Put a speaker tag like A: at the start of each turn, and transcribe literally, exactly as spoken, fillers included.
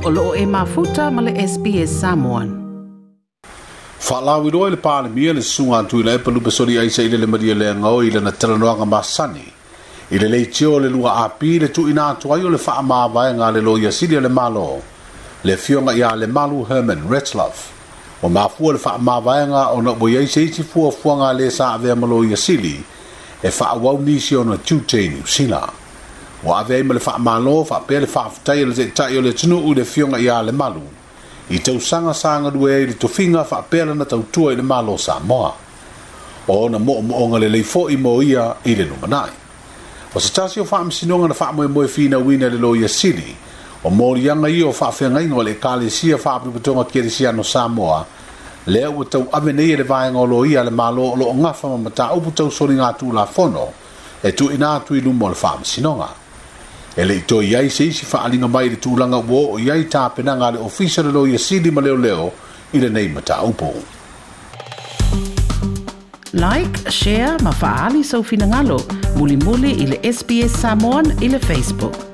A: O loo e mafuta ma le S B S Samoan.
B: Faalauiloa i le Palemia le susuga a Tuilaepa Lupesoli Aisa i le Maria Leaga i lana talanoaga masani. I le leitio le lua api le tuuina atu ai o le faamavaega a le Loia Sili o le Malo, le afioga ia Lemalu Herman Retzlaff. Ua mafua le faamavaega ona ua i ai se isi fuafuaga a le sa avea ma Loia Sili e faaauau nisi ona tiute i Niu Sila. Ua ave ai ma le faamalo faapea le faafetai a le taitai o le atunuu i le afioga ia Lemalu i tausaga sa galue ai i le tofiga faapea lana tautua i le Malo Samoa. O ona moomooga lelei foi mo ia i le lumanai. O se tasi o faamasinoga na faamoemoe finauina i le Loia Sili, o moliaga ia o faafeagaiga o le Ekalesia Faaputuputega Kerisiano Samoa, lea ua tauave nei e le vaega o loia a le Malo o loo gafa ma mataupu tausoliga tulafono e tuuina atu i luma o le faamasinoga. E le i toe i ai se isi faaliga mai i le tulaga ua oo i ai tapenaga a le Ofisa o le Loia Sili ma Leoleo i lenei mataupu.
A: Like, share ma faali sau finagalo, mulimuli i le S B S Samoan i le Facebook.